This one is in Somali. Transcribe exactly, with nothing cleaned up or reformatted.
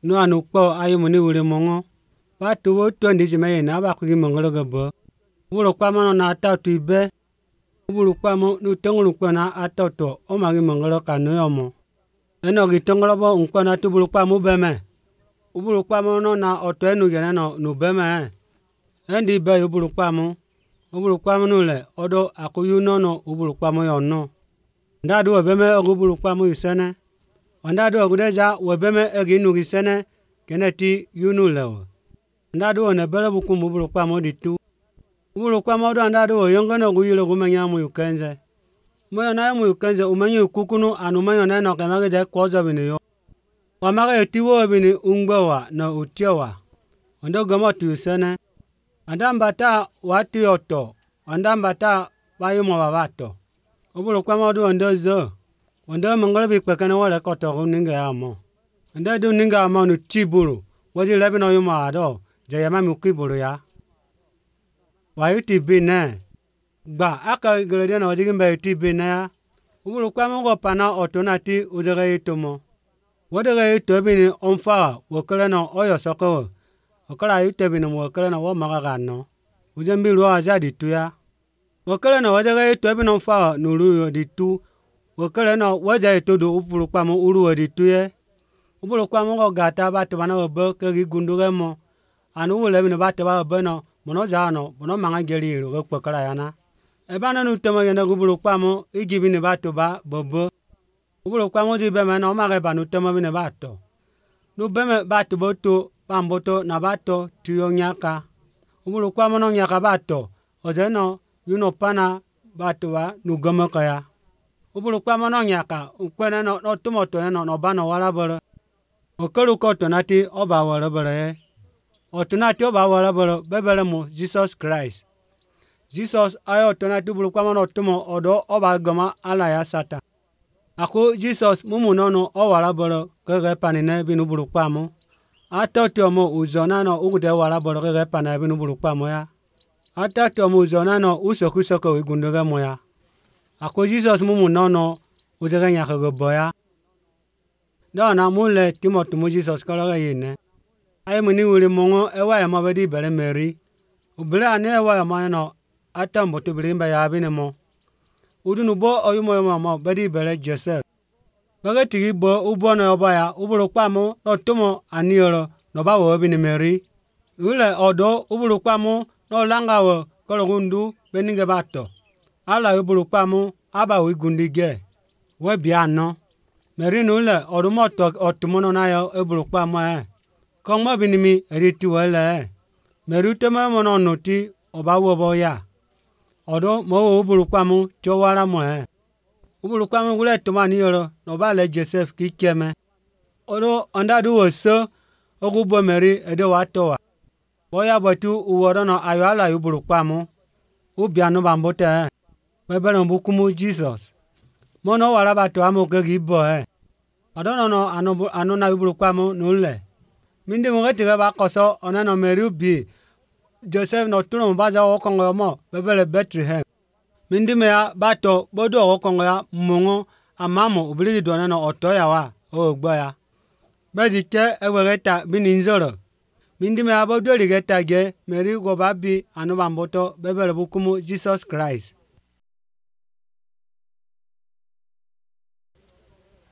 No anu kpɔ ayomoni wuli mɔŋɔ. Ba to wo to ndi jima yena ba kugi mɔŋɔlɔ ge bɔ. Ubulu kpamɔ nɔ na ata to ibe. Ubulu kpamɔ nu tɔŋɔlu kpɔ na ata to o ma gi mɔŋɔlɔ ka nu yɔ mɔ. Enɔ gi tɔŋɔlɔ bɔ ŋkpɔ na to ubulu kpamɔ bɛ mɛ. Ubulu kpamɔ nɔ na ɔtɔ enu yɛnɛ nɔ nu bɛ mɛ. Endi bɛ ubulu kpamɔ. Ubulu kpamɔ nu lɛ ɔdɔ akuyu nɔnɔ ubulu kpamɔ yɔ nɔ. Ndadu wɔ bɛ mɛ ɔgu ubulu kpamɔ yi sɛnɛ. Ndadu wɔ guɖe wɔ bɛ mɛ egi nu gi sɛnɛ kɛnɛ ti yunu lɛ o. Ndadu wɔ ne bɛlɛ buku mu ubulu kpamɔ di tu. Ubulu kpamɔ do ndadu wɔ yɔngɔ nɔ gu yile gu mɛ nyamu yu kɛnzɛ. Mɛ na mu yu kɛnzɛ umɛ nyu kukunu anu mɛ yɔ nɛ nɔ kɛmɛ gɛ kɔzɔ bi ne yɔ. Wa ma gɛ ti wo bi ne ŋgbɛ wa na utia wa. Ndo gɔmɔ tu sɛnɛ. Andamba ta wa ti ɔtɔ. Andamba ta ba yi mɔ ba ba tɔ. Ubulu kpamɔ do ndo zo. Ndo mɔngɔlɔ bi kpɛkɛ ne wɔ lɛ kɔtɔ gu ninga ya mɔ. Ndo do ninga ya mɔ nu ti bolo. Wɔdzi lɛ bi nɔ yomɔ adɔ. Jɛyɛma mi kui bolo ya. Wa yi ti bi nɛ. Gba aka gele ɖe nɔ wɔdzi be yi ti bi nɛ ya. Ubulu kpamɔ gɔ pana ɔtɔ na ti wodze yi to mɔ. Wode ge yi to bi ni ɔnfa wɔ kele nɔ ɔyɔ sɔkɔ wɔ. Ɔkele yi to bi ni wɔ kele nɔ wɔ ma ga nɔ. Wodze bi lu aza di tu ya. Wɔ kele nɔ wodze ge yi to bi nɔ ɔnfa nulu yɔ di tu. Wɔ kele nɔ wodze yi to do ubulu kpamɔ ulu wɔ di tu yɛ. Ubulu kpamɔ gɔ gata ba to ba na wɔ be ke gi gundu ge mɔ. Anu wo le bi ne ba to ba wɔ be nɔ mɔnɔ za nɔ mɔnɔ maŋa geli yi lo ge kpɔ kele ya na. Eba nɔ nu tɔmɔ yɛnɛ ubulu kpamɔ igi bi ne ba to ba bebe. Ubulu kpamɔ di be mɛ nɔ ɔma ge ba nu tɔmɔ bi ne ba tɔ. Nu be mɛ ba to bo to ba mboto na ba tɔ tuyɔ nyaka. Ubulu kpamɔ nɔ nyaka ba tɔ ɔdze nɔ yunɔ pana ba to ba nu gɔmɔ kɔ ya. Ubulu kpamɔ nɔ nyaka ŋkpɛ nɔ nɔ tomɔ tɔ nɔ nɔ ba nɔ wala bɔlɔ. Okelu kɔ tɔ na ti ɔba wɔlɔ bɔlɔ yɛ. Ɔtɔ na ti ɔba wɔlɔ bɔlɔ bɛbɛlɛ mo Jesus Christ. Jesus ayɔ tɔ na ti ubulu kpamɔ nɔ tomɔ ɔdɔ ɔba gɔmɔ ala ya sata. Ako Jesus mumu nɔnɔ ɔwala bɔlɔ kɛkɛ pani nɛ bi nubulu kpamɔ. Atɔ ti ɔmɔ uzɔ nanɔ ukutɛ wala bɔlɔ kɛkɛ pani bi nubulu kpamɔ ya. Atɔ ti ɔmɔ uzɔ nanɔ usokusoko igundu kɛ mɔ ya. Ako Jesus mumu nɔnɔ udzɛkɛ nya kɛkɛ bɔ ya. Dɔw na mu lɛ Timɔti mu Jesus kɔlɔ kɛ yi nɛ. Ayi mu ni wuli mɔŋɔ ɛwɔ yɛ mɔ bɛ di bɛlɛ mɛri. Ubili ani ɛwɔ yɛ mɔ nɔ atɔ mɔto bili bɛ ya bi ne mɔ. Udunu bɔ ɔyumɔ yɛ mɔ bɛ di bɛlɛ Joseph. Bɛkɛ tigi bɔ ubɔ nɔ yɔbɔ ya ubulu kpamɔ nɔ tomɔ aniyɔrɔ nɔba wɔ bi ne mɛri. Wulɛ ɔdɔ ubulu kpamɔ nɔ langa wɔ kɔlɔkundu bɛ nigɛ ba tɔ. Ala ubulu kpamɔ aba wɔ igundi gɛ. Wɔ bia nɔ. Mɛri nu lɛ ɔdumɔ tɔ ɔtumɔ nɔ na yɔ ebulu kpamɔ yɛ. Kɔŋmɔ bi nimi edi ti wɔ lɛ. Mɛri tɛmɛ mɔ nɔ nɔti ɔba wɔ bɔ ya. Ɔdɔ mɔ wɔ ubulu kpamɔ tsɔ wala mɔ yɛ. Ubulu kpamɔ wulɛ tɔmɔ aniyɔrɔ nɔba lɛ Joseph ki kɛmɛ. Ɔdɔ ɔndadu wɔ se ɔgu bɔ mɛri ɛdɛ wa tɔ wa. Bɔya bɔtu uwɔ dɔ nɔ ayɔ ala ubulu kpamɔ. Ubia nu bambo tɛ. Bɛbɛlɛ bukumu Jesus. Mɔnɔ wala ba tɔ amewo ke gi bɔ yɛ. Ɔdɔ nɔnɔ anu anu na ubulu kpamɔ nu lɛ. Minde mo ke tigɛ ba kɔsɔ ɔnɛ nɔ mɛri bi Joseph nɔ tunu ba za wɔ kɔngɔ mɔ bɛbɛlɛ Bethlehem. Minde me ya ba tɔ bɔdɔ wɔ kɔngɔ ya mɔŋɔ amamɔ obili dɔ nɛ nɔ ɔtɔ ya wa ɔwɔ gbɔ ya. Bɛdi kɛ ɛwɛ kɛ ta bi ni nzɔrɔ. Minde me ya bɔdɔ li kɛ ta gɛ mɛri gɔ ba bi anu bambɔtɔ bɛbɛlɛ bukumu Jesus Christ.